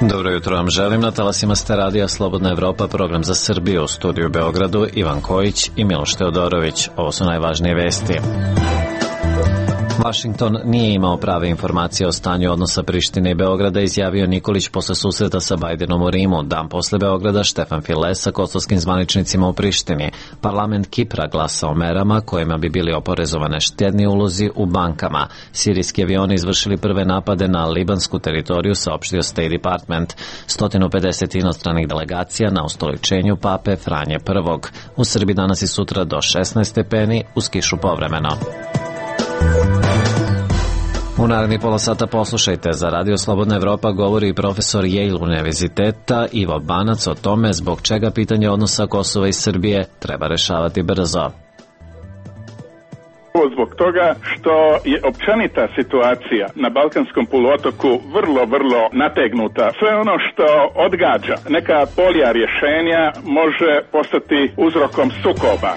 Dobro jutro vam želim, na talasima ste radija Slobodna Evropa, program za Srbiju, u studiju u Beogradu Ivan Kojić i Miloš Teodorović. Ovo su najvažnije vesti. Vašington nije imao prave informacije o stanju odnosa Prištine i Beograda, izjavio Nikolić posle susreta sa Bajdenom u Rimu. Dan posle Beograda Štefan File sa kosovskim zvaničnicima u Prištini. Parlament Kipra glasa o merama kojima bi bili oporezovane štedni ulozi u bankama. Sirijski avioni izvršili prve napade na libansku teritoriju, saopštio State Department. 150 inostranih delegacija na ustoličenju pape Franje I. U Srbiji danas i sutra do 16 stepeni, uz kišu povremeno. U narednih pola sata poslušajte, za Radio Slobodna Evropa govori profesor Yale univerziteta Ivo Banac o tome zbog čega pitanje odnosa Kosova i Srbije treba rešavati brzo. Zbog toga što je općenita situacija na Balkanskom poluotoku vrlo nategnuta. Sve ono što odgađa neka polja rješenja može postati uzrokom sukoba.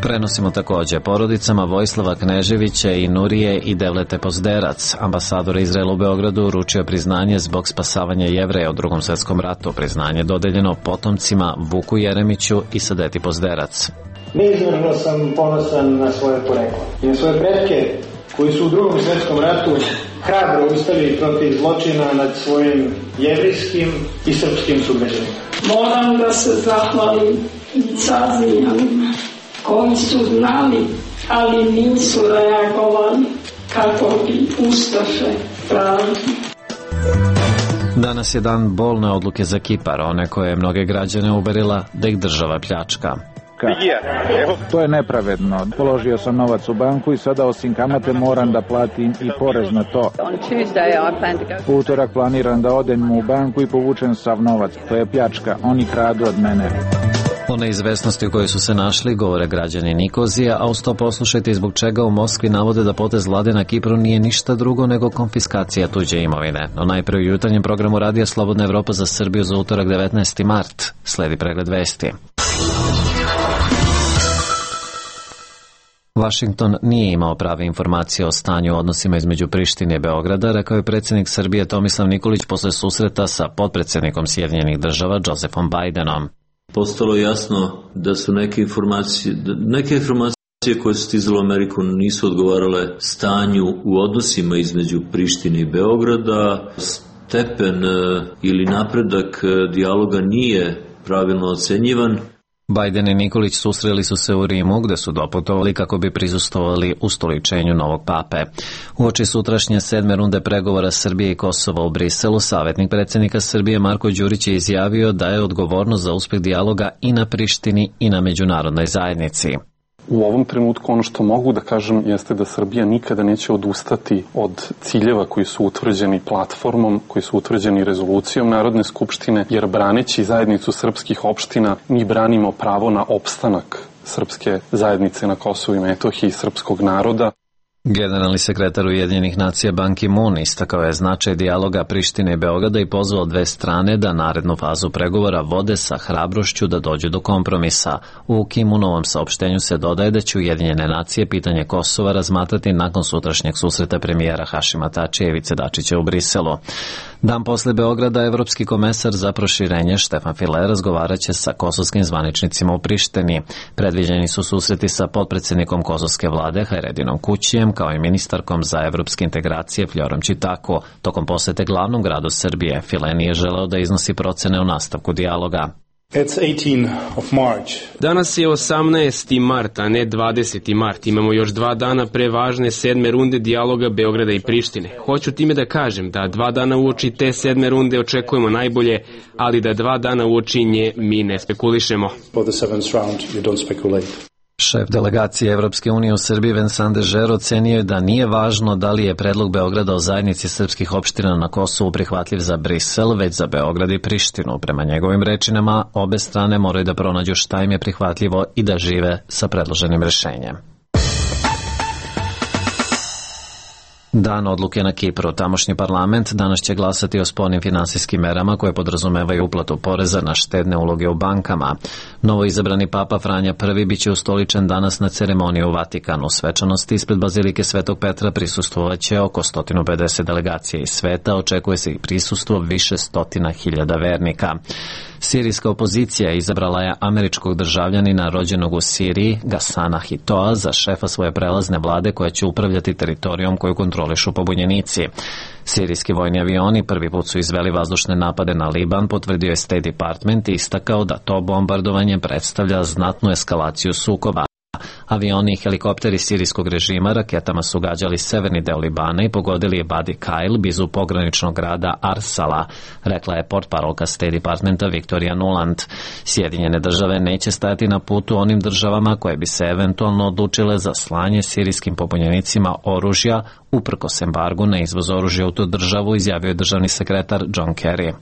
Prenosimo također porodicama Vojislava Kneževića i Nurije i Devlete Pozderac. Ambasador Izraela u Beogradu uručio priznanje zbog spasavanja Jevreja u Drugom svjetskom ratu. Priznanje dodeljeno potomcima Vuku Jeremiću i Sadeti Pozderac. Neizmjerno sam ponosan na svoje poreklo i na svoje pretke koji su u Drugom svjetskom ratu hrabro ustali protiv zločina nad svojim jevrijskim i srpskim sugrađanima. Moram da se zahvalim carinjanima koji su znali, ali nisu reagovali kako bi ustaše pravili. Danas je dan bolne odluke za Kipar, one koje je mnoge građane uverila da ih država pljačka. To je nepravedno. Položio sam novac u banku i sada osim kamate moram da platim i porez na to. U utorak planiram da odem u banku i povučem sav novac. To je pljačka. Oni kradu od mene. O neizvesnosti u kojoj su se našli govore građani Nikozija, a uz to poslušajte zbog čega u Moskvi navode da potez vlade na Kipru nije ništa drugo nego konfiskacija tuđe imovine. No najpre u jutarnjem programu Radija Slobodna Evropa za Srbiju za utorak 19. mart. Sledi pregled vesti. Vašington nije imao prave informacije o stanju u odnosima između Prištine i Beograda, rekao je predsjednik Srbije Tomislav Nikolić posle susreta sa potpredsjednikom Sjedinjenih država Josefom Bajdenom. Postalo je jasno da su neke informacije koje su stizale u Ameriku nisu odgovarale stanju u odnosima između Prištine i Beograda. Stepen ili napredak dijaloga nije pravilno ocenjivan. Bajden i Nikolić susreli su se u Rimu, gde su doputovali kako bi prisustvovali ustoličenju novog pape. Uoči sutrašnje 7. runde pregovora Srbije i Kosova u Briselu, savjetnik predsjednika Srbije Marko Đurić je izjavio da je odgovornost za uspjeh dijaloga i na Prištini i na međunarodnoj zajednici. U ovom trenutku ono što mogu da kažem jeste da Srbija nikada neće odustati od ciljeva koji su utvrđeni platformom, koji su utvrđeni rezolucijom Narodne skupštine, jer braneći zajednicu srpskih opština mi branimo pravo na opstanak srpske zajednice na Kosovu i Metohiji, srpskog naroda. Generalni sekretar Ujedinjenih nacija Ban Ki-moon istakao je značaj dijaloga Prištine i Beograda i pozvao dve strane da narednu fazu pregovora vode sa hrabrošću da dođu do kompromisa. U Ki-moonovom saopštenju se dodaje da će Ujedinjene nacije pitanje Kosova razmatrati nakon sutrašnjeg susreta premijera Hašima Tačija i Ivice Dačića u Briselu. Dan posle Beograda evropski komesar za proširenje Štefan File razgovaraće sa kosovskim zvaničnicima u Prištini. Predviđeni su susreti sa potpredsjednikom kosovske vlade Hajredinom Kućijem kao i ministarkom za evropske integracije Fljorom Čitako. Tokom posete glavnom gradu Srbije, File nije želeo da iznosi procene o nastavku dijaloga. Danas je 18. mart, a ne 20. mart. Imamo još 2 dana pre važne 7. runde dijaloga Beograda i Prištine. Hoću time da kažem da 2 dana uoči te 7. runde očekujemo najbolje, ali da 2 dana uoči nje mi ne spekulišemo. Šef delegacije Evropske unije u Srbiji Vincent Dežer ocenio je da nije važno da li je predlog Beograda o zajednici srpskih opština na Kosovu prihvatljiv za Brisel, već za Beograd i Prištinu. Prema njegovim rečima, obe strane moraju da pronađu šta im je prihvatljivo i da žive sa predloženim rešenjem. Dan odluke na Kipru. Tamošnji parlament danas će glasati o spornim finansijskim merama koje podrazumevaju uplatu poreza na štedne uloge u bankama. Novo izabrani papa Franja I biće ustoličen danas na ceremoniji u Vatikanu. Svečanosti ispred Bazilike Svetog Petra prisustvovaće oko 150 delegacija iz sveta, očekuje se i prisustvo više stotina hiljada vernika. Sirijska opozicija izabrala je američkog državljanina rođenog u Siriji, Gasana Hitoa, za šefa svoje prelazne vlade koja će upravljati teritorijom koju kontrolišu pobunjenici. Sirijski vojni avioni prvi put su izveli vazdušne napade na Liban, potvrdio je State Department i istakao da to bombardovanje predstavlja znatnu eskalaciju sukoba. Avioni i helikopteri sirijskog režima raketama su gađali severni deo Libana i pogodili je Badi Kail blizu pograničnog grada Arsala, rekla je portparolka State Departmenta Victoria Nuland. Sjedinjene države neće stajati na putu onim državama koje bi se eventualno odlučile za slanje sirijskim pobunjenicima oružja uprkos embargu na izvoz oružja u tu državu, izjavio je državni sekretar John Kerry.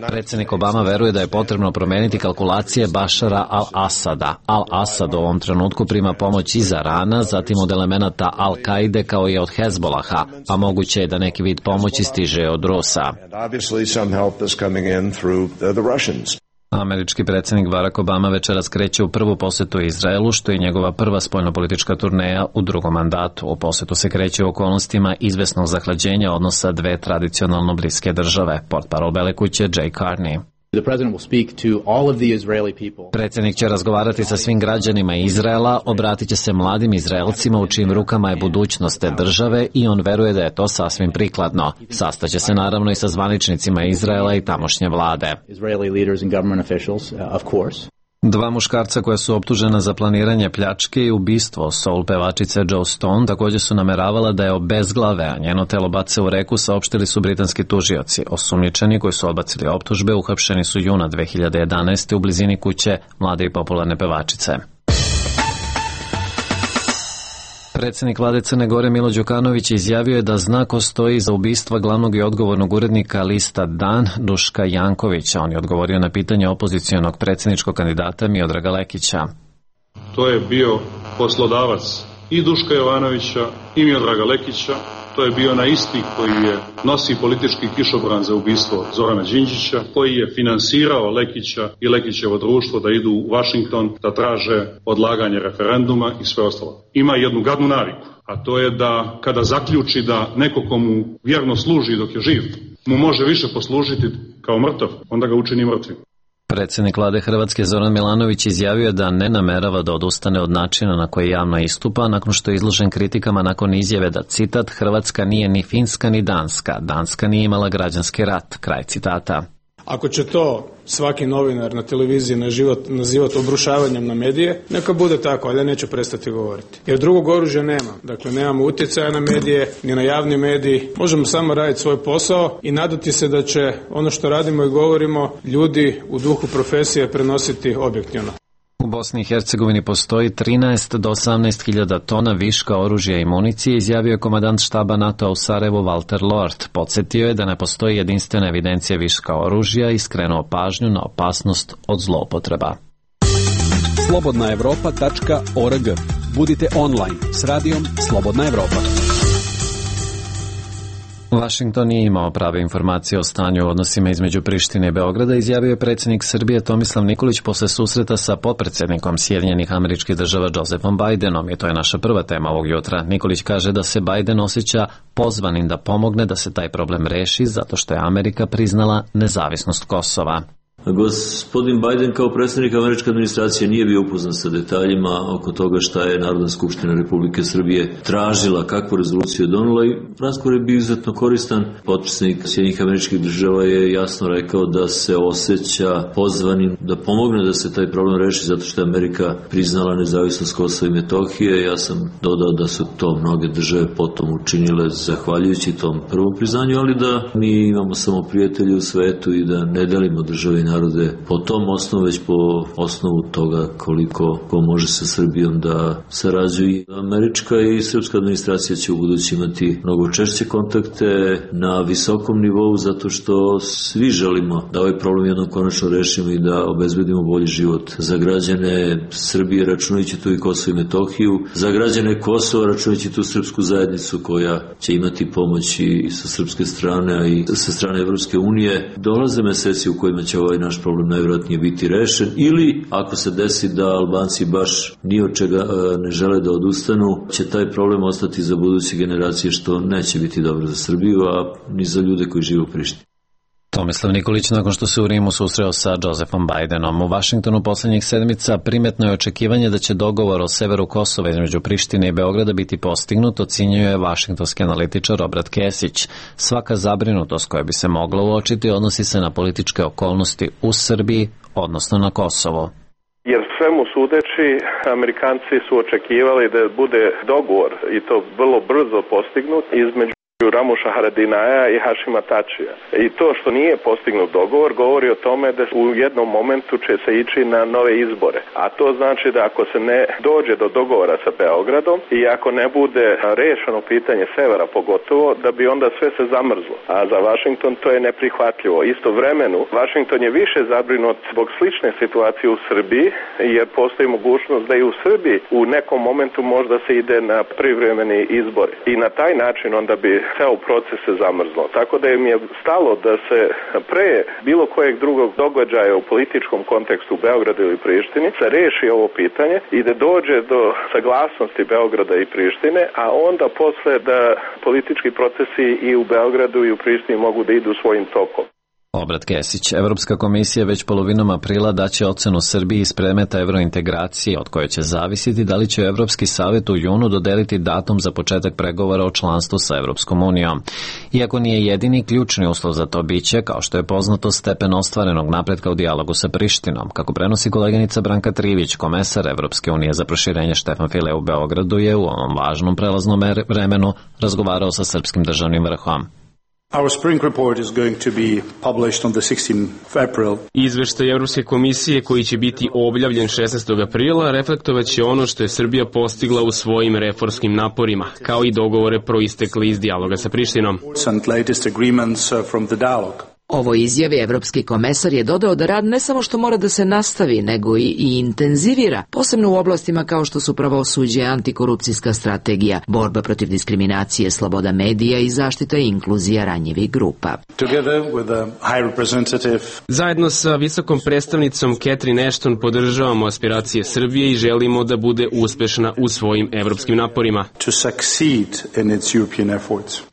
Predsjednik Obama veruje da je potrebno promeniti kalkulacije Bašara al-Asada. Al-Asad u ovom trenutku prima pomoć iz Irana, zatim od elemenata Al-Kaide kao i od Hezbolaha, a moguće je da neki vid pomoći stiže od Rusa. Američki predsjednik Barack Obama večeras kreće u prvu posetu Izraelu, što je njegova prva spoljnopolitička turneja u drugom mandatu. U posetu se kreće u okolnostima izvesnog zahlađenja odnosa dve tradicionalno bliske države, portparol Bele kuće Jay Carney. Predsjednik će razgovarati sa svim građanima Izraela, obratit će se mladim Izraelcima u čijim rukama je budućnost te države i on veruje da je to sasvim prikladno. Sastaće se naravno i sa zvaničnicima Izraela i tamošnje vlade. Dva muškarca koja su optužena za planiranje pljačke i ubistvo soul pevačice Joe Stone također su nameravala da je obezglave, a njeno telo bace u reku, saopštili su britanski tužioci. Osumnjičeni koji su odbacili optužbe uhapšeni su juna 2011. u blizini kuće mlade i popularne pevačice. Predsjednik vlade Crne Gore Milo Đukanović izjavio je da zna ko stoji za ubistva glavnog i odgovornog urednika lista Dan, Duška Jankovića. On je odgovorio na pitanje opozicionog predsjedničkog kandidata Miodraga Lekića. To je bio poslodavac i Duška Jovanovića i Miodraga Lekića. To je bio na isti koji je nosi politički kišobran za ubistvo Zorana Đinđića, koji je finansirao Lekića i Lekićevo društvo da idu u Washington da traže odlaganje referenduma i sve ostalo. Ima jednu gadnu naviku, a to je da kada zaključi da neko komu vjerno služi dok je živ, mu može više poslužiti kao mrtav, onda ga učini mrtvim. Predsjednik vlade Hrvatske Zoran Milanović izjavio je da ne namerava da odustane od načina na koji javno istupa nakon što je izložen kritikama nakon izjave da, citat, Hrvatska nije ni Finska ni Danska, Danska nije imala građanski rat, kraj citata. Ako će to svaki novinar na televiziji nazivati obrušavanjem na medije, neka bude tako, ali ja neću prestati govoriti. Jer drugog oružja nema. Dakle, nemamo utjecaja na medije, ni na javni mediji. Možemo samo raditi svoj posao i nadati se da će ono što radimo i govorimo ljudi u duhu profesije prenositi objektivno. U Bosni i Hercegovini postoji 13 do 18 hiljada tona viška oružja i municije, izjavio je komandant štaba NATO-a u Sarajevu Walter Lord. Podsjetio je da ne postoji jedinstvena evidencija viška oružja i skrenuo pažnju na opasnost od zloupotreba. Slobodnaevropa.org. Budite online s radijom Slobodna Evropa. Washington nije imao prave informacije o stanju u odnosima između Prištine i Beograda, izjavio je predsjednik Srbije Tomislav Nikolić posle susreta sa potpredsjednikom Sjedinjenih Američkih Država Josephom Bidenom, i to je naša prva tema ovog jutra. Nikolić kaže da se Biden osjeća pozvanim da pomogne da se taj problem reši zato što je Amerika priznala nezavisnost Kosova. Gospodin Biden kao predsjednik američke administracije nije bio upoznat sa detaljima oko toga šta je Narodna skupština Republike Srbije tražila, kakvu rezoluciju je donela, i razgovor je bio izuzetno koristan. Potpredsjednik Sjedinjenih američkih Država je jasno rekao da se osjeća pozvanim da pomogne da se taj problem reši zato što je Amerika priznala nezavisnost Kosova i Metohije. Ja sam dodao da su to mnoge države potom učinile zahvaljujući tom prvom priznanju, ali da mi imamo samo prijatelje u svetu i da ne delimo države i narode narode po tom osnovu, već po osnovu toga koliko ko može sa Srbijom da sarađuje. Američka i srpska administracija će u budući imati mnogo češće kontakte na visokom nivou, zato što svi želimo da ovaj problem jednom konačno rešimo i da obezbedimo bolji život za građane Srbije, računajući tu i Kosovo i Metohiju, za građane Kosova, računajući tu srpsku zajednicu koja će imati pomoć i sa srpske strane, a i sa strane Evropske unije. Dolaze meseci u kojima će ovaj naš problem najvjerojatnije biti rešen, ili ako se desi da Albanci baš ni od čega ne žele da odustanu, će taj problem ostati za buduće generacije, što neće biti dobro za Srbiju, a ni za ljude koji žive u Prištini. Tomislav Nikolić nakon što se u Rimu susreo sa Josephom Bidenom. U Vašingtonu poslednjih sedmica primetno je očekivanje da će dogovor o severu Kosova između Prištine i Beograda biti postignut, ocenjuje vašingtonski analitičar Robert Kesić. Svaka zabrinutost koja bi se mogla uočiti odnosi se na političke okolnosti u Srbiji, odnosno na Kosovo. Jer svemu sudeći, Amerikanci su očekivali da bude dogovor i to vrlo brzo postignut između Ramuša Haradinaja i Hašima Tačija. I to što nije postignut dogovor govori o tome da u jednom momentu će se ići na nove izbore. A to znači da ako se ne dođe do dogovora sa Beogradom i ako ne bude rešeno pitanje severa pogotovo, da bi onda sve se zamrzlo. A za Washington to je neprihvatljivo. Istovremeno, Washington je više zabrinut zbog slične situacije u Srbiji, jer postoji mogućnost da i u Srbiji u nekom momentu možda se ide na privremeni izbori. I na taj način onda bi ceo proces se zamrzlo. Tako da im je stalo da se pre bilo kojeg drugog događaja u političkom kontekstu u Beogradu ili Prištini se reši ovo pitanje i da dođe do saglasnosti Beograda i Prištine, a onda posle da politički procesi i u Beogradu i u Prištini mogu da idu svojim tokom. Obrat Kesić. Evropska komisija već polovinom aprila daće ocenu Srbiji iz predmeta evrointegracije, od koje će zavisiti da li će Evropski savjet u junu dodeliti datum za početak pregovora o članstvu sa Evropskom unijom. Iako nije jedini ključni uslov za to biće, kao što je poznato, stepen ostvarenog napretka u dijalogu sa Prištinom. Kako prenosi koleginica Branka Trivić, komesar Evropske unije za proširenje Štefan File u Beogradu je u ovom važnom prelaznom vremenu razgovarao sa srpskim državnim vrhom. Our spring report is going to be published on the 16th of April. Izveštaj Evropske komisije koji će biti objavljen 16. aprila reflektovaće ono što je Srbija postigla u svojim reformskim naporima, kao i dogovore proistekli iz dijaloga sa Prištinom. And latest agreements from the dialogue. Ovoj izjavi evropski komesar je dodao da rad ne samo što mora da se nastavi, nego i intenzivira, posebno u oblastima kao što su pravosuđe, antikorupcijska strategija, borba protiv diskriminacije, sloboda medija i zaštita i inkluzija ranjivih grupa. Zajedno sa visokom predstavnicom Catherine Ashton podržavamo aspiracije Srbije i želimo da bude uspešna u svojim evropskim naporima.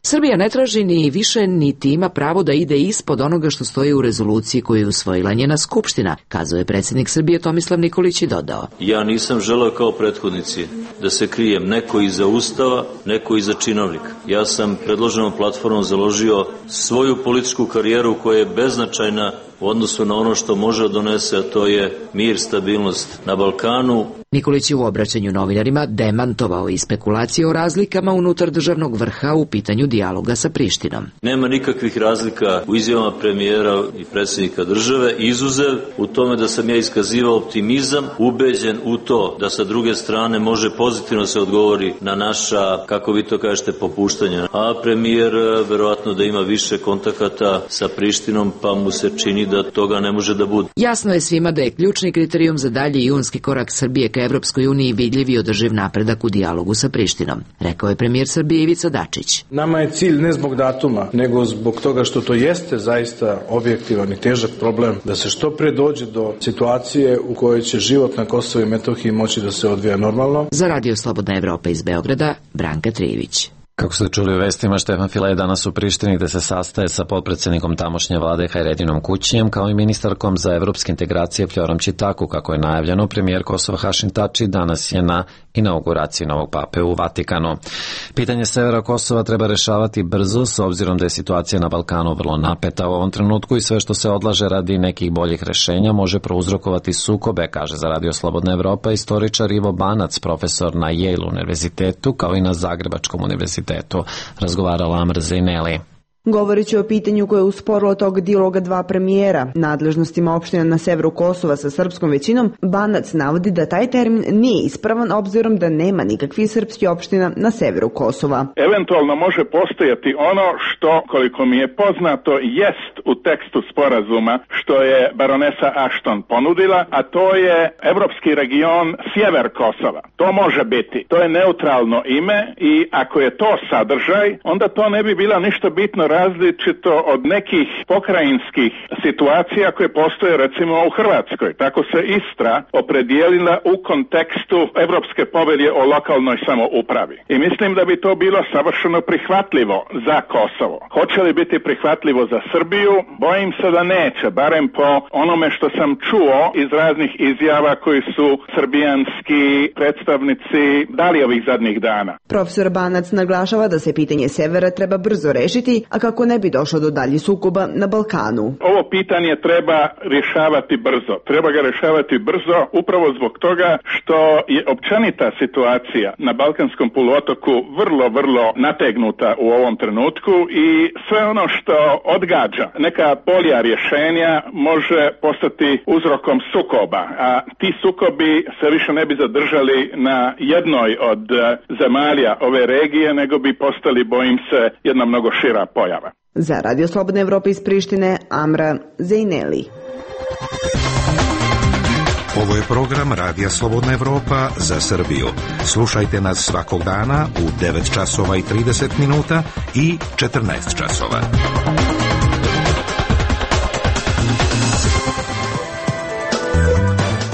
Srbija ne traži ni više niti ima pravo da ide ispod onoga što stoji u rezoluciji koju je usvojila njena skupština, kazao je predsjednik Srbije Tomislav Nikolić i dodao. Ja nisam želeo kao prethodnici da se krijem neko iza Ustava, neko iza činovnika. Ja sam predloženom platformom založio svoju političku karijeru koja je beznačajna u odnosu na ono što može donese, a to je mir, stabilnost na Balkanu. Nikolić je u obraćanju novinarima demantovao i spekulacije o razlikama unutar državnog vrha u pitanju dijaloga sa Prištinom. Nema nikakvih razlika u izjavama premijera i predsjednika države, izuzev u tome da sam ja iskazivao optimizam, ubeđen u to da sa druge strane može pozitivno se odgovori na naša, kako vi to kažete, popuštanja. A premijer verovatno da ima više kontakata sa Prištinom, pa mu se čini da toga ne može da bude. Jasno je svima da je ključni kriterijum za dalji junski korak Srbije ka Evropskoj uniji vidljiv i održiv napredak u dijalogu sa Prištinom, rekao je premijer Srbije Ivica Dačić. Nama je cilj ne zbog datuma, nego zbog toga što to jeste zaista objektivan i težak problem, da se što pre dođe do situacije u kojoj će život na Kosovu i Metohiji moći da se odvija normalno. Za Radio Slobodna Evropa iz Beograda, Branka Trivić. Kako ste čuli u vestima, Štefan File je danas u Prištini gde se sastaje sa potpredsednikom tamošnje vlade Hajredinom Kućijem kao i ministarkom za evropske integracije Fljorom Čitaku. Kako je najavljeno, premijer Kosova Hašim Tači danas je na inauguraciji novog pape u Vatikanu. Pitanje severa Kosova treba rešavati brzo, s obzirom da je situacija na Balkanu vrlo napeta u ovom trenutku i sve što se odlaže radi nekih boljih rešenja može prouzrokovati sukobe, kaže za Radio Slobodna Evropa istoričar Ivo Banac, profesor na Yale univerzitetu kao i na Zagrebačkom univerzitetu. Razgovarala Amr Zejneli. Govoreći o pitanju koje je usporilo tog dijaloga dva premijera, nadležnostima opština na severu Kosova sa srpskom većinom, Banac navodi da taj termin nije ispravan obzirom da nema nikakvih srpskih opština na severu Kosova. Eventualno može postojati ono što, koliko mi je poznato, jest u tekstu sporazuma što je baronesa Ashton ponudila, a to je evropski region sjever Kosova. To može biti. To je neutralno ime i ako je to sadržaj, onda to ne bi bila ništa bitno različito od nekih pokrajinskih situacija koje postoje recimo u Hrvatskoj. Tako se Istra opredijelila u kontekstu Evropske povelje o lokalnoj samoupravi. I mislim da bi to bilo savršeno prihvatljivo za Kosovo. Hoće li biti prihvatljivo za Srbiju? Bojim se da neće, barem po onome što sam čuo iz raznih izjava koji su srbijanski predstavnici dali ovih zadnjih dana. Profesor Banac naglašava da se pitanje severa treba brzo rešiti, a kako ne bi došlo do daljih sukoba na Balkanu. Ovo pitanje treba rješavati brzo. Treba ga rješavati brzo upravo zbog toga što je općenita situacija na Balkanskom poluotoku vrlo nategnuta u ovom trenutku i sve ono što odgađa neka polja rješenja može postati uzrokom sukoba, a ti sukobi se više ne bi zadržali na jednoj od zemalja ove regije, nego bi postali, bojim se, jedna mnogo šira pojava. Za Radio Slobodna Evropa iz Prištine, Amra Zejneli. Ovo je program Radija Slobodna Evropa za Srbiju. Slušajte nas svakog dana u 9 časova i 30 minuta i 14 časova.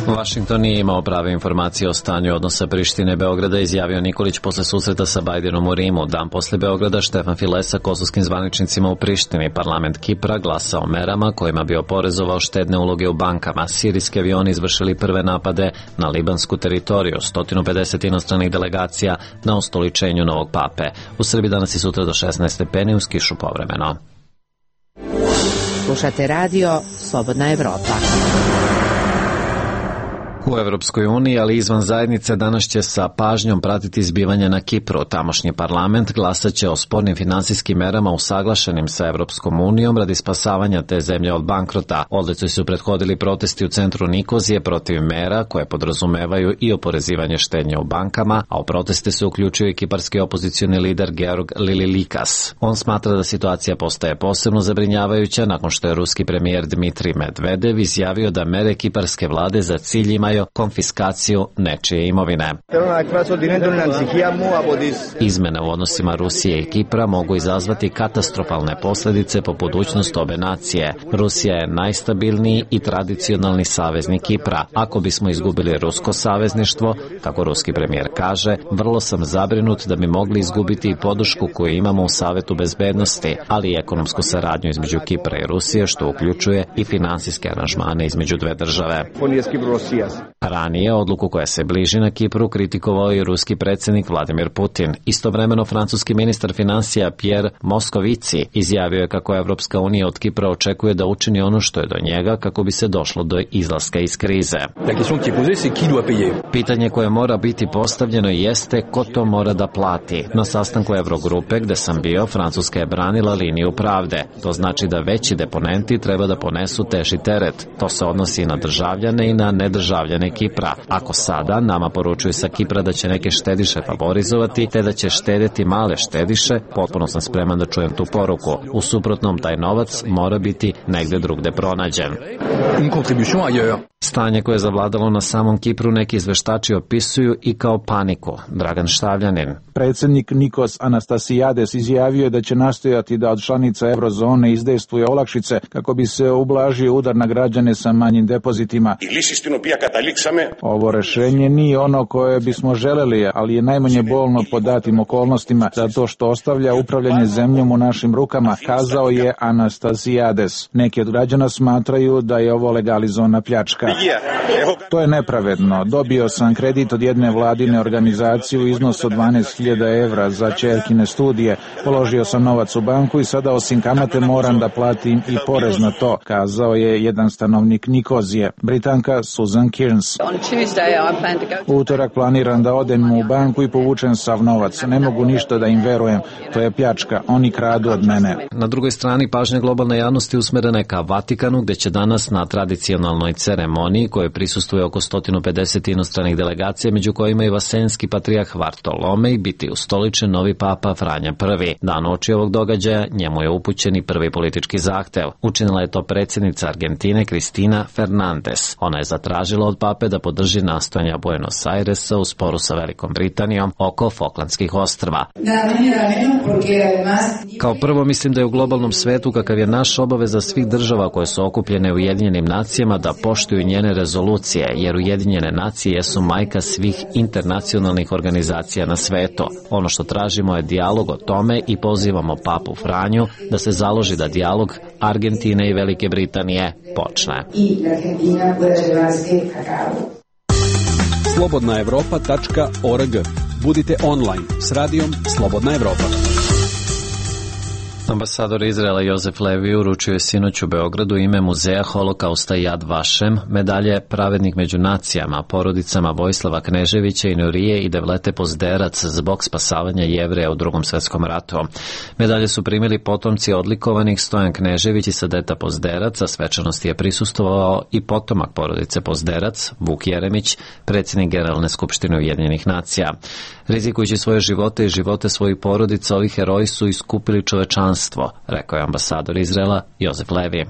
Washington nije imao prave informacije o stanju odnosa Prištine i Beograda, izjavio Nikolić posle susreta sa Bajdenom u Rimu. Dan posle Beograda Štefan File sa kosovskim zvaničnicima u Prištini. Parlament Kipra glasa o merama kojima bi oporezovao štedne uloge u bankama. Sirijski avioni izvršili prve napade na libansku teritoriju. 150 inostranih delegacija na ustoličenju novog pape. U Srbiji danas i sutra do 16 stepeni, uz kišu povremeno. Slušate radio Slobodna Evropa. U Evropskoj uniji, ali izvan zajednice, danas će sa pažnjom pratiti zbivanja na Kipru. Tamošnji parlament glasaće o spornim finansijskim merama usaglašenim sa Evropskom unijom radi spasavanja te zemlje od bankrota. Odlici su prethodili protesti u centru Nikozije protiv mera koje podrazumevaju i oporezivanje štednje u bankama, a u proteste se uključio i kiparski opozicioni lider Georg Lililikas. On smatra da situacija postaje posebno zabrinjavajuća nakon što je ruski premijer Dmitrij Medvedev izjavio da mere kiparske vlade za cilj imaju konfiskaciju nečije imovine. Izmene u odnosima Rusije i Kipra mogu izazvati katastrofalne posljedice po budućnost obe nacije. Rusija je najstabilniji i tradicionalni saveznik Kipra. Ako bismo izgubili rusko savezništvo, kako ruski premijer kaže, vrlo sam zabrinut da bi mogli izgubiti i podršku koju imamo u Savetu bezbednosti, ali i ekonomsku saradnju između Kipra i Rusije, što uključuje i finansijske aranžmane između dve države. Ranije odluku koja se bliži na Kipru kritikovao i ruski predsjednik Vladimir Putin. Istovremeno francuski ministar financija Pierre Moscovici izjavio je kako Evropska unija od Kipra očekuje da učini ono što je do njega kako bi se došlo do izlaska iz krize. Pitanje koje mora biti postavljeno jeste ko to mora da plati. Na sastanku Eurogrupe gde sam bio, Francuska je branila liniju pravde. To znači da veći deponenti treba da ponesu teži teret. To se odnosi na državljane i na nedržavljane Kipra. Ako sada nama poručuju sa Kipra da će neke štediše favorizovati, te da će štedeti male štediše, potpuno sam spreman da čujem tu poruku. U suprotnom, taj novac mora biti negde drugde pronađen. Stanje koje je zavladalo na samom Kipru neki izveštači opisuju i kao paniku. Dragan Štavljanin. Predsjednik Nikos Anastasijades izjavio je da će nastojati da od članica eurozone izdejstvuje olakšice kako bi se ublažio udar na građane sa manjim depozitima. Ovo rešenje nije ono koje bismo želeli, ali je najmanje bolno pod datim okolnostima, zato što ostavlja upravljanje zemljom u našim rukama, kazao je Anastasijades. Neki od građana smatraju da je ovo legalizovana pljačka. To je nepravedno. Dobio sam kredit od jedne vladine organizacije u iznosu od 12.000 evra za ćerkine studije. Položio sam novac u banku i sada osim kamate moram da platim i porez na to, kazao je jedan stanovnik Nikozije. Britanka Susan Kearney. Intelligence. U utorak planiram da odem u banku i povučem sav novac. Ne mogu ništa da im verujem. To je pljačka. Oni kradu od mene. Na drugoj strani pažnja globalne javnosti usmerena je ka Vatikanu, gde će danas na tradicionalnoj ceremoniji koje prisustuje oko 150 inostranih delegacija, među kojima i vasenski patrijah Vartolomej, biti ustoličen novi papa Franja I. Dan oči ovog događaja njemu je upućen i prvi politički zahtev. Učinila je to predsjednica Argentine Cristina Fernández. Ona je zatražila od pape da podrži nastojanja Buenos Airesa u sporu sa Velikom Britanijom oko Falklandskih ostrva. Kao prvo, mislim da je u globalnom svetu, kakav je naš, obaveza svih država koje su okupljene u Ujedinjenim nacijama da poštuju njene rezolucije, jer Ujedinjene nacije jesu majka svih internacionalnih organizacija na svetu. Ono što tražimo je dijalog o tome i pozivamo papu Franju da se založi da dijalog Argentine i Velike Britanije počne. slobodnaevropa.org. Budite online s radijom Slobodna Evropa. Ambasador Izraela Jozef Levi uručio je sinoć u Beogradu ime Muzeja holokausta Yad Vashem, medalje Pravednik među nacijama, porodicama Vojislava Kneževića i Nurije i Devlete Pozderac zbog spasavanja Jevreja u Drugom svetskom ratu. Medalje su primili potomci odlikovanih Stojan Knežević i Sadeta Pozderac, a svečanosti je prisustvovao i potomak porodice Pozderac, Vuk Jeremić, predsjednik Generalne skupštine Ujedinjenih nacija. Rizikujući svoje živote i živote svojih porodica, ovi heroji su iskupili čovečanstvo, rekao je ambasador Izraela Jozef Levi.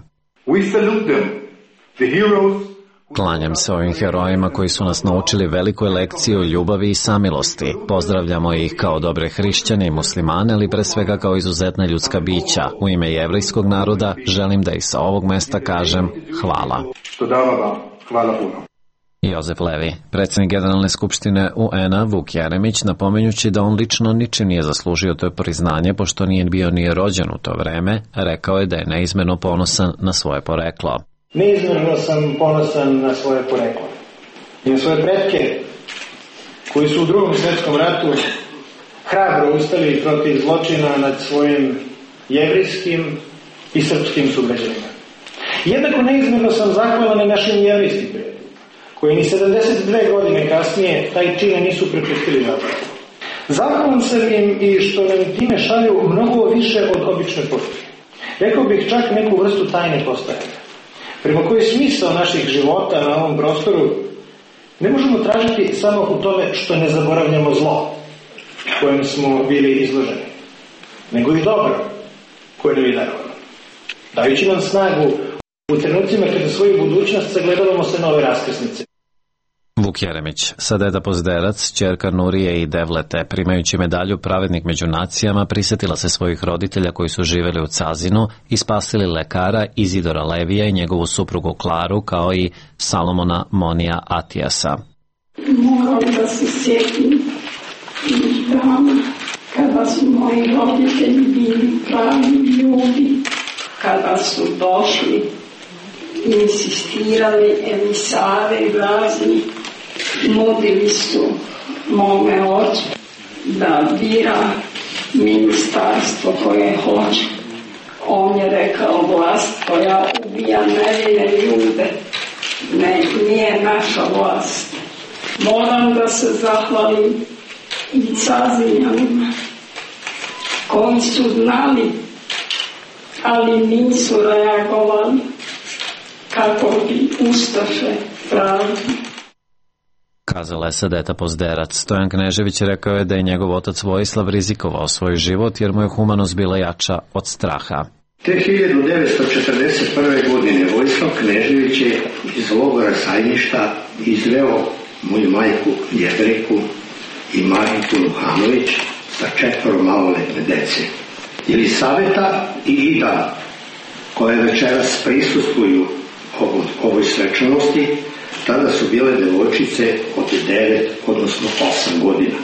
Klanjam se ovim herojima koji su nas naučili velikoj lekciji o ljubavi i samilosti. Pozdravljamo ih kao dobre hrišćane i muslimane, ali pre svega kao izuzetna ljudska bića. U ime jevrejskog naroda želim da ih sa ovog mesta kažem hvala. Hvala puno. Jozef Levi, predsjednik Generalne skupštine UN-a Vuk Jeremić, napominjući da on lično ničim nije zaslužio to priznanje, pošto nije bio ni rođen u to vreme, rekao je da je neizmjerno ponosan na svoje poreklo. Neizmjerno sam ponosan na svoje poreklo i na svoje pretke koji su u Drugom svjetskom ratu hrabro ustali protiv zločina nad svojim jevrijskim i srpskim sugrađanima. Jednako neizmjerno sam zahvalan i našim jevrijskim prijateljima, koji ni 72 godine kasnije taj čin nisu prepustili zapravo. Zahvalan sam im i što nam time šalju mnogo više od obične poruke. Rekao bih čak neku vrstu tajne postojanja, prema kojoj smisao naših života na ovom prostoru ne možemo tražiti samo u tome što ne zaboravljamo zlo kojem smo bili izloženi, nego i dobro koje nam je darovano, dajući nam snagu u trenucima kada svoju budućnost sagledavamo sa nove raskrsnice. Vuk Jeremić, Sadeta Pozderac, ćerka Nurije i Devlete, primajući medalju Pravednik među nacijama, prisjetila se svojih roditelja koji su živjeli u Cazinu i spasili lekara Izidora Levija i njegovu suprugu Klaru, kao i Salomona Monija Atijasa. Moram da se sjetim tih dana kada su moji roditelji bili pravi ljudi, kada su došli insistirali emisare razni, nudili su mome ocu da bira ministarstvo koje hoće. On je rekao, vlast koja ubija nevine ljude, nije naša vlast. Moram da se zahvalim i Cazinjanima koji su znali, ali nisu reagovali kako bi ustaše pravili. Kazala je Sadeta Pozderac. Stojan Knežević rekao je da je njegov otac Vojislav rizikovao svoj život jer mu je humanost bila jača od straha. Te 1941. godine Vojislav Knežević je iz logora Sajmišta izveo moju majku Jevrejku i Mariku Nuhanović sa 4 maloletne dece. Jelisaveta i Ida, koje večeras prisustvuju ovoj svečanosti, tada su bile devojčice od 9, odnosno 8 godina.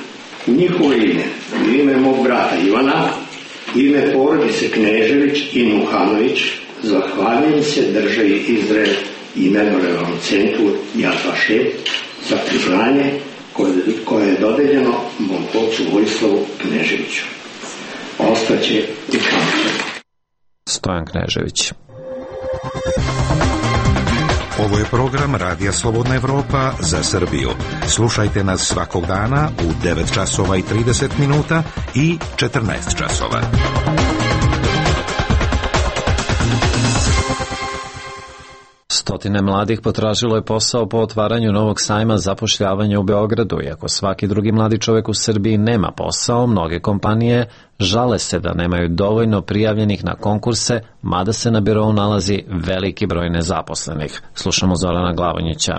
U njihovo ime, u ime mog brata Ivana, ime porodice Knežević i Nuhanović, zahvaljujem se državi Izrael i Memorijalnom centru Yad Vashem za priznanje koje je dodeljeno mom ocu Vojislavu Kneževiću. Ostaće u kampu. Stojan Knežević. Ovo je program Radija Slobodna Evropa za Srbiju. Slušajte nas svakog dana u 9 časova i 30 minuta i 14 časova. Stotine mladih potražilo je posao po otvaranju novog sajma zapošljavanja u Beogradu. Iako svaki drugi mladi čovjek u Srbiji nema posao, mnoge kompanije žale se da nemaju dovoljno prijavljenih na konkurse, mada se na birou nalazi veliki broj nezaposlenih. Slušamo Zorana Glavonjića.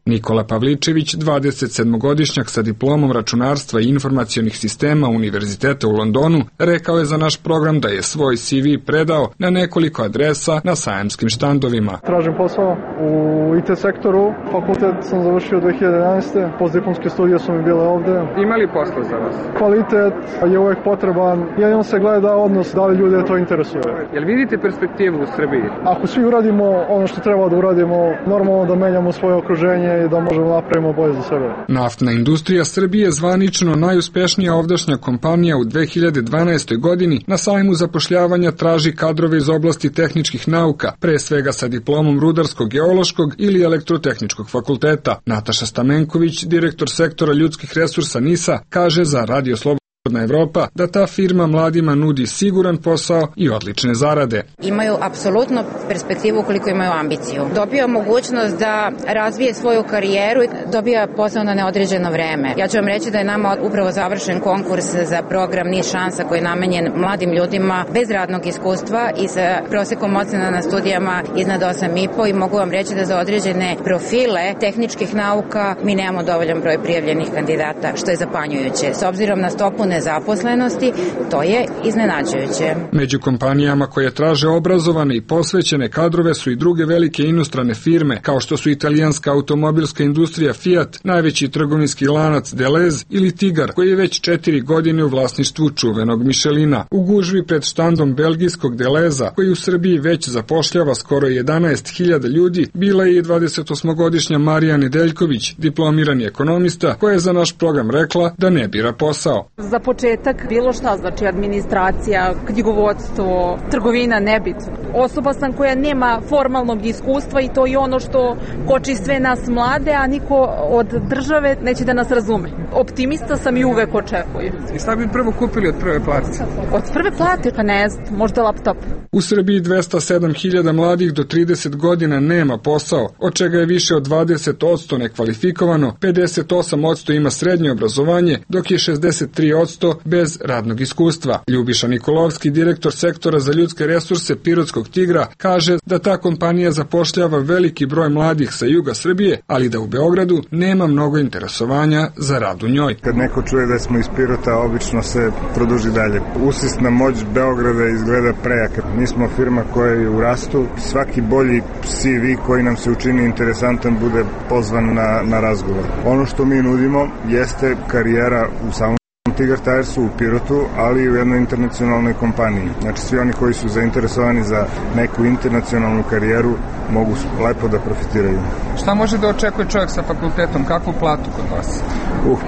Nikola Pavličević, 27-godišnjak sa diplomom računarstva i informacionih sistema Univerziteta u Londonu, rekao je za naš program da je svoj CV predao na nekoliko adresa na sajamskim štandovima. Tražim posao u IT sektoru, fakultet sam završio 2011. Postdiplomske studije su mi bile ovde. Ima li posla za vas? Kvalitet je uvek potreban, jedino se gleda odnos da li ljude to interesuje. Jel vidite perspektivu u Srbiji? Ako svi uradimo ono što treba da uradimo, normalno da menjamo svoje okruženje i da možemo napravimo bolje za sebe. Naftna industrija Srbije je zvanično najuspešnija ovdašnja kompanija u 2012. godini. Na sajmu zapošljavanja traži kadrove iz oblasti tehničkih nauka, pre svega sa diplomom rudarsko-geološkog ili elektrotehničkog fakulteta. Nataša Stamenković, direktor sektora ljudskih resursa NIS-a, kaže za Radio Slobodna Evropa da ta firma mladima nudi siguran posao i odlične zarade. Imaju apsolutno perspektivu ukoliko imaju ambiciju. Dobija mogućnost da razvije svoju karijeru i dobija posao na neodređeno vreme. Ja ću vam reći da je nama upravo završen konkurs za program NIS šansa koji je namenjen mladim ljudima bez radnog iskustva i sa prosekom ocena na studijama iznad 8,5 i mogu vam reći da za određene profile tehničkih nauka mi nemamo dovoljan broj prijavljenih kandidata, što je zapanjujuće. S obzirom na stopu nezaposlenosti, to je iznenađujuće. Među kompanijama koje traže obrazovane i posvećene kadrove su i druge velike inostrane firme, kao što su italijanska automobilska industrija Fiat, najveći trgovinski lanac Deleuze ili Tigar, koji je već 4 godine u vlasništvu čuvenog Michelina. U gužvi pred štandom belgijskog Deleuza, koji u Srbiji već zapošljava skoro 11.000 ljudi, bila je i 28-godišnja Marija Nedeljković, diplomirani ekonomista, koja je za naš program rekla da ne bira posao. Za početak bilo šta, znači administracija, knjigovodstvo, trgovina, nebitno. Osoba sam koja nema formalnog iskustva i to je ono što koči sve nas mlade, a niko od države neće da nas razume. Optimista sam i uvek očekujem. I šta bi prvo kupili od prve plate? Od prve plate? Pa ne znam, možda laptop. U Srbiji 207.000 mladih do 30 godina nema posao, od čega je više od 20% nekvalifikovano, 58% ima srednje obrazovanje, dok je 63% bez radnog iskustva. Ljubiša Nikolovski, direktor sektora za ljudske resurse Pirotskog Tigra, kaže da ta kompanija zapošljava veliki broj mladih sa juga Srbije, ali da u Beogradu nema mnogo interesovanja za rad u njoj. Kad neko čuje da smo iz Pirota, obično se produži dalje. Usisna moć Beograda izgleda prejaka. Mi smo firma koja je u rastu. Svaki bolji CV koji nam se učini interesantan bude pozvan na razgovor. Ono što mi nudimo jeste karijera u samom Tigar Tiresu u Pirotu, ali i u jednoj internacionalnoj kompaniji. Znači svi oni koji su zainteresovani za neku internacionalnu karijeru mogu lepo da profitiraju. Šta može da očekuje čovjek sa fakultetom? Kakvu platu kod vas?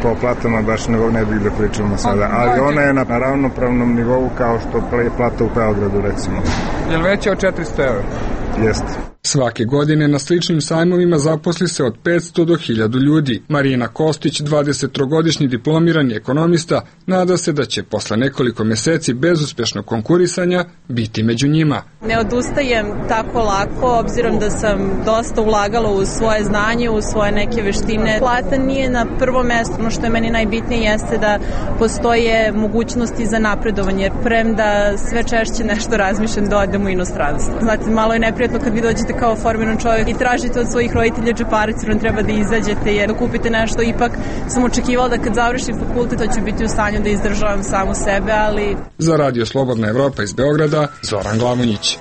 Pa o platama baš ne bih da pričamo sada, ali ona je na ravnopravnom nivou kao što je plata u Beogradu recimo. Je li veća od 400 €? Jeste. Svake godine na sličnim sajmovima zaposli se od 500 do 1000 ljudi. Marina Kostić, 23-godišnji diplomirani ekonomista, nada se da će posle nekoliko meseci bezuspešnog konkurisanja biti među njima. Ne odustajem tako lako, obzirom da sam dosta ulagala u svoje znanje, u svoje neke veštine. Plata nije na prvo mesto, ono što je meni najbitnije jeste da postoje mogućnosti za napredovanje, jer premda sve češće nešto razmišljam da odem u inostranstvo. Znate, malo je neprijatno kad vi dođete kao formiran čovjek i tražite od svojih roditelja džeparac, jer treba da izađete, jer da kupite nešto. Ipak sam očekivala da kad završim fakultet, to ću biti u stanju da izdržavam samu sebe, ali... Za Radio Slobodna Evropa iz Beograda, Zoran Glavonjić.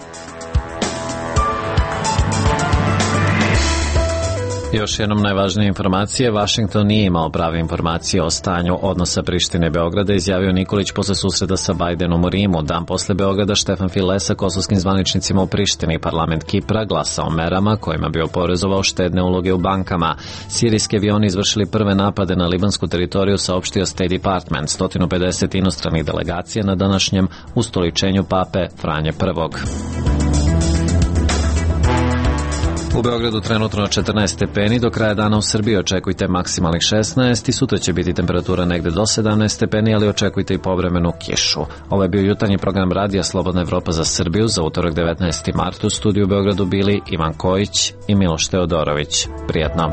Još jednom najvažnije informacije, Vašington nije imao prave informacije o stanju odnosa Prištine i Beograda, izjavio Nikolić posle susreta sa Bajdenom u Rimu. Dan posle Beograda Štefan File sa kosovskim zvaničnicima u Prištini. Parlament Kipra glasa o merama kojima bi oporezovao štedne uloge u bankama. Sirijski avioni izvršili prve napade na libansku teritoriju, saopštio State Department. 150 inostranih delegacija na današnjem ustoličenju pape Franje I. U Beogradu trenutno 14 stepeni, do kraja dana u Srbiji očekujte maksimalnih 16 i sutra će biti temperatura negde do 17 stepeni, ali očekujte i povremenu kišu. Ovo je bio jutarnji program Radija Slobodna Evropa za Srbiju za utorak 19. mart. U studiju u Beogradu bili Ivan Kojić i Miloš Teodorović. Prijatno.